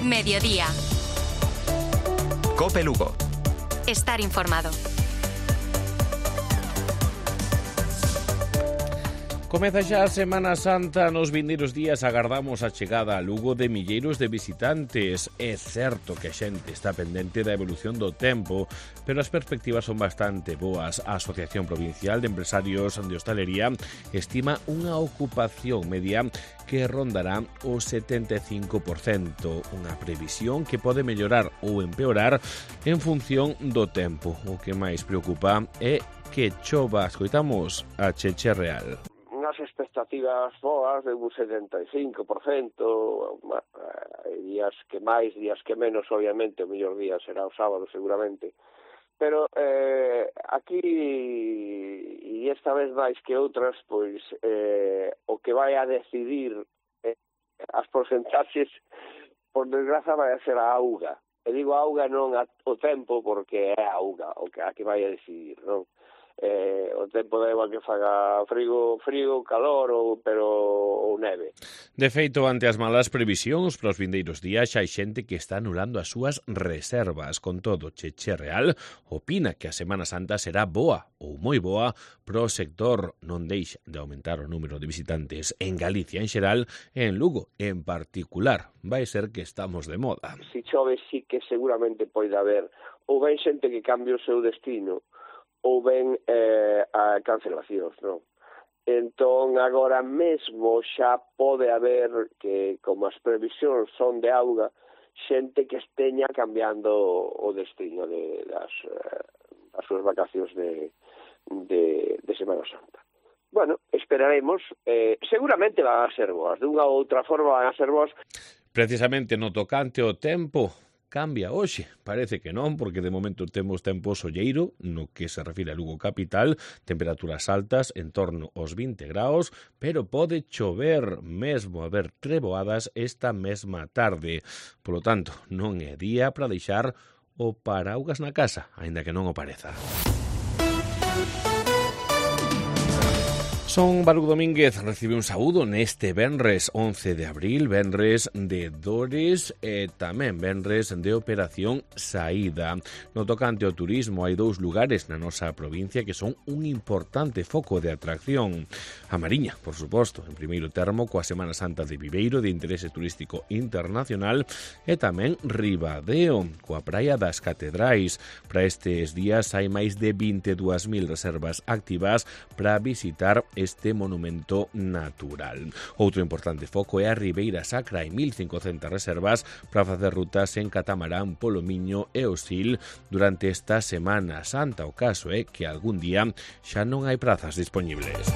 Mediodía. COPE Lugo. Estar informado. Comeza xa a Semana Santa. Nos vindeiros días agardamos a chegada a Lugo de milleiros de visitantes. É certo que a xente está pendente da evolución do tempo, pero as perspectivas son bastante boas. A Asociación Provincial de Empresarios de Hostalería estima unha ocupación media que rondará o 75%, unha previsión que pode mellorar ou empeorar en función do tempo. O que máis preocupa é que chova. Escoitamos a Cheche Real. Unhas expectativas boas de un 75%, días que máis, días que menos, obviamente, o mellor día será o sábado seguramente, pero aquí, e esta vez máis que outras, pois o que vai a decidir as porcentaxes, por desgraza, vai a ser a auga. E digo auga non o tempo, porque é a auga o que a que vai a decidir, non? O tempo da igual que faga frío, calor ou neve. De feito, ante as malas previsións para os vindeiros días, xa hai xente que está anulando as súas reservas. Con todo, Cheche Real opina que a Semana Santa será boa ou moi boa pro sector. Non deixa de aumentar o número de visitantes en Galicia en xeral e en Lugo en particular. Vai ser que estamos de moda. Si chove, sí que seguramente pode haber ou ben xente que cambie o seu destino ou ben a cancelacións, non? Entón, agora mesmo xa pode haber que, como as previsións son de auga, xente que esteña cambiando o destino das súas vacacións de Semana Santa. Bueno, esperaremos. Seguramente van a ser boas. De unha ou outra forma van a ser boas. Precisamente no tocante ao tempo, cambia hoxe, parece que non, porque de momento temos tempo solleiro no que se refire a Lugo capital, temperaturas altas en torno aos 20 graus, pero pode chover, mesmo haber treboadas esta mesma tarde. Polo tanto, non é día para deixar o paraugas na casa, aínda que non o pareza. Son Baruc Domínguez, recibe un saúdo neste venres 11 de abril, venres de Dores e tamén venres de Operación Saída. No tocante ao turismo, hai dous lugares na nosa provincia que son un importante foco de atracción. A Mariña, por suposto, en primeiro termo, coa Semana Santa de Viveiro de interese turístico internacional, e tamén Ribadeo, coa Praia das Catedrais. Para estes días hai máis de 22.000 reservas activas para visitar este monumento natural. Outro importante foco é a Ribeira Sacra, hai 1.500 reservas para facer rutas en catamarán polo Miño e o Sil durante esta Semana Santa. O caso é que algún día xa non hai prazas dispoñibles.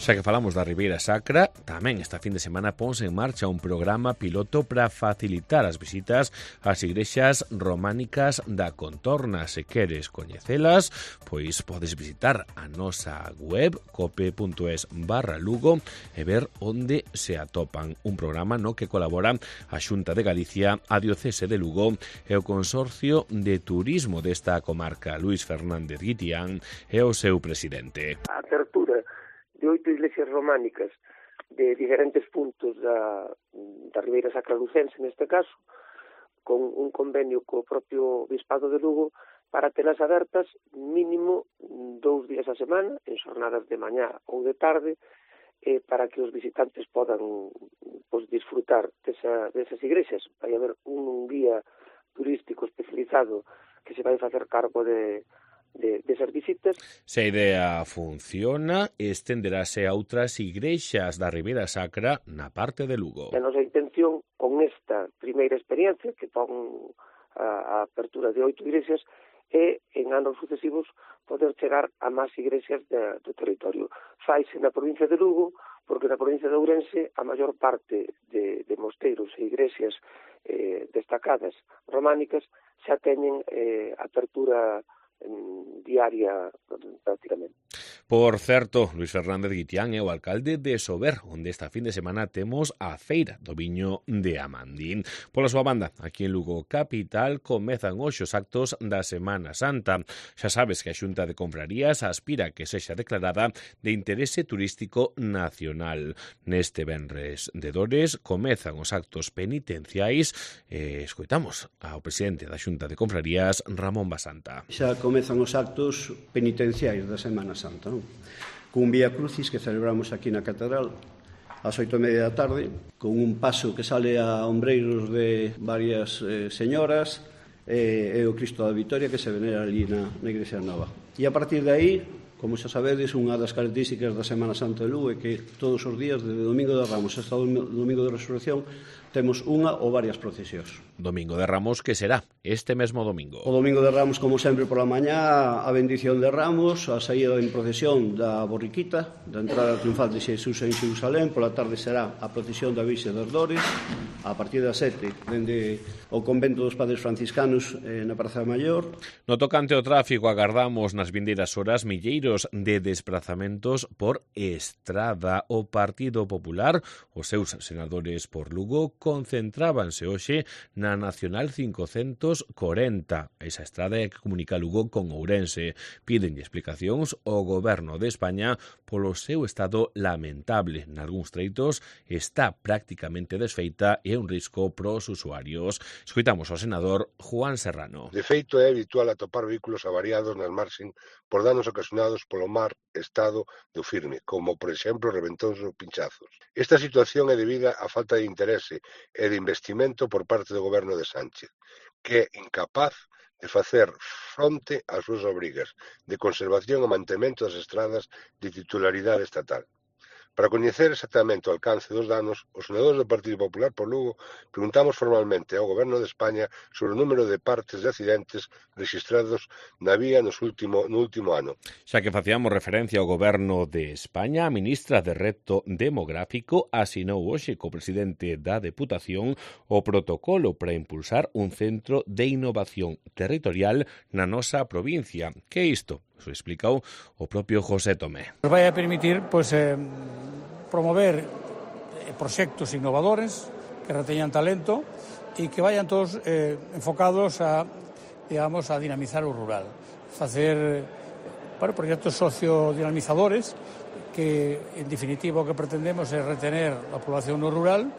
Xa que falamos da Ribeira Sacra, tamén esta fin de semana ponse en marcha un programa piloto para facilitar as visitas ás igrexas románicas da contorna. Se queres coñecelas, pois podes visitar a nosa web cope.es/Lugo e ver onde se atopan. Un programa no que colabora a Xunta de Galicia, a Diocese de Lugo e o Consorcio de Turismo desta comarca. Luis Fernández Guitián é o seu presidente. A apertura de 8 iglesias románicas de diferentes puntos da Ribeira Sacra lucense, neste caso, con un convenio co propio Bispado de Lugo para telas abertas mínimo 2 días a semana, en xornadas de mañá ou de tarde, para que os visitantes podan disfrutar desas iglesias. Vai haber un guía turístico especializado que se vai facer cargo desas visitas. Se a idea funciona, estenderase a outras igrexas da Ribeira Sacra na parte de Lugo. A nosa intención con esta primeira experiencia, que pon a apertura de 8 igrexas, é en anos sucesivos poder chegar a máis igrexas do territorio. Faise na provincia de Lugo, porque na provincia de Ourense a maior parte de mosteiros e igrexas destacadas románicas xa teñen apertura diaria prácticamente. Por certo, Luis Fernández Guitián é o alcalde de Sober, onde esta fin de semana temos a feira do viño de Amandín. Pola súa banda, aquí en Lugo Capital comezan hoxe os actos da Semana Santa. Xa sabes que a Xunta de Confrarías aspira que sexa declarada de interese turístico nacional. Neste venres de Dores comezan os actos penitenciais e escoitamos ao presidente da Xunta de Confrarías, Ramón Basanta. Xa comezan os actos penitenciais da Semana Santa, non? Cun Vía Crucis que celebramos aquí na Catedral ás 8:30 da tarde, con un paso que sale a ombreiros de varias señoras e o Cristo da Vitoria que se venera ali na Igrexa Nova. E a partir de aí, como xa sabedes, unha das características da Semana Santa de Lugo é que todos os días, desde Domingo de Ramos hasta o Domingo de Resurrección, temos unha ou varias procesións. Domingo de Ramos, que será este mesmo domingo. O Domingo de Ramos, como sempre, pola mañá, a bendición de Ramos, a saída en procesión da borriquita, da entrada triunfal de Xesús en Xerusalén, pola tarde será a procesión da Virxe das Dores, a partir das 7, dende o convento dos Padres Franciscanos na Praza Maior. No tocante ao tráfico, agardamos nas vindeiras horas milleiros de desplazamentos por estrada. O Partido Popular, os seus senadores por Lugo, concentrábanse hoxe na Nacional 540, esa estrada que comunica Lugo con Ourense. Piden explicacións ao Goberno de España polo seu estado lamentable. Nalgúns treitos está prácticamente desfeita e é un risco pros usuarios. Escoitamos ao senador Juan Serrano. De feito, é habitual atopar vehículos avariados nas marxen por danos ocasionados polo mar estado do firme, como, por exemplo, reventóns ou pinchazos. Esta situación é debida á falta de interese e de investimento por parte do Goberno de Sánchez, que é incapaz de facer fronte ás súas obrigas de conservación e mantemento das estradas de titularidade estatal. Para coñecer exactamente o alcance dos danos, os senadores do Partido Popular por Lugo preguntamos formalmente ao Goberno de España sobre o número de partes de accidentes registrados na vía no último ano. Xa que facíamos referencia ao Goberno de España, a ministra de Reto Demográfico asinou hoxe co presidente da Deputación o protocolo para impulsar un centro de innovación territorial na nosa provincia. Que é isto? Eso explicou o propio José Tomé. Nos vai a permitir promover proxectos innovadores que reteñan talento e que vayan todos enfocados a dinamizar o rural. Facer proxectos sociodinamizadores que, en definitiva, o que pretendemos é retener a población no rural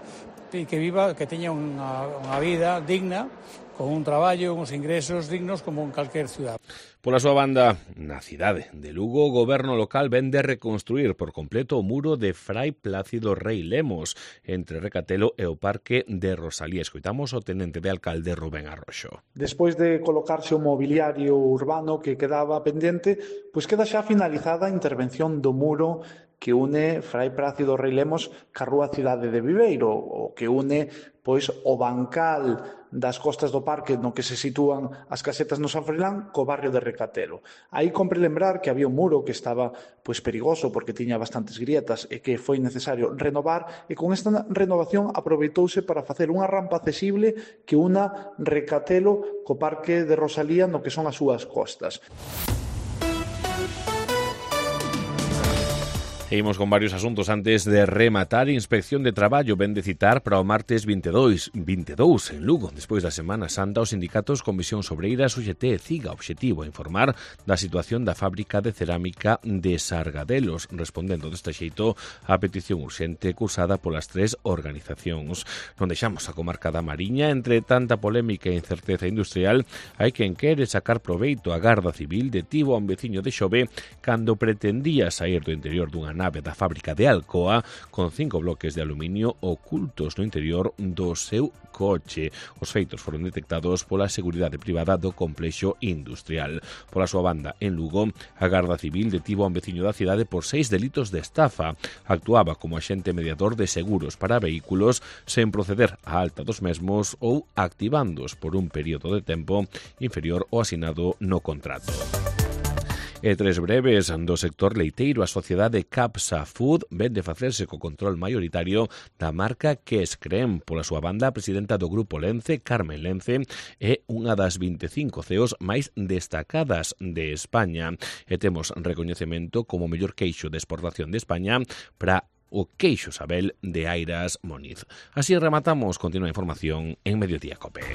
e que teña unha vida digna, con un traballo, uns ingresos dignos como en calquer ciudad. Pola súa banda, na cidade de Lugo, o goberno local vende reconstruir por completo o muro de Fray Plácido Rei Lemos entre Recatelo e o Parque de Rosalía. Escoitamos o tenente de alcalde Rubén Arroxo. Despois de colocarse o mobiliario urbano que quedaba pendente, pois queda xa finalizada a intervención do muro que une Fray Plácido Rei Lemos ca rúa Cidade de Viveiro, o que une pois o bancal das costas do parque no que se sitúan as casetas no San Froilán co barrio de Recatelo. Aí compre lembrar que había un muro que estaba pois perigoso porque tiña bastantes grietas e que foi necesario renovar, e con esta renovación aproveitouse para facer unha rampa accesible que una Recatelo co parque de Rosalía no que son as súas costas. Seguimos con varios asuntos antes de rematar. Inspección de Traballo ven de citar para o martes 22 en Lugo. Despois da Semana Santa, os sindicatos Comisión Sobreiras, UGT e CIGA, obxectivo a informar da situación da fábrica de cerámica de Sargadelos, respondendo deste xeito á petición urxente cursada polas tres organizacións. Non deixamos a comarca da Mariña. Entre tanta polémica e incerteza industrial, hai quen quere sacar proveito. A Garda Civil detivo a un veciño de Xove cando pretendía sair do interior dunha nave da fábrica de Alcoa con 5 bloques de aluminio ocultos no interior do seu coche. Os feitos foron detectados pola Seguridade Privada do complexo industrial. Pola súa banda, en Lugo, a Garda Civil detivo a un veciño da cidade por 6 delitos de estafa. Actuaba como axente mediador de seguros para vehículos sen proceder á alta dos mesmos ou activándoos por un período de tempo inferior ao asinado no contrato. E tres breves do sector leiteiro. A sociedade Capsa Food ven de facerse co control maioritario da marca Quescrem. Pola súa banda, a presidenta do Grupo Lence, Carmen Lence, é unha das 25 CEOs máis destacadas de España. E temos recoñecemento como mellor queixo de exportación de España para o queixo Sabel de Airas Moniz. Así rematamos. Continúa a información en Mediodía Cope.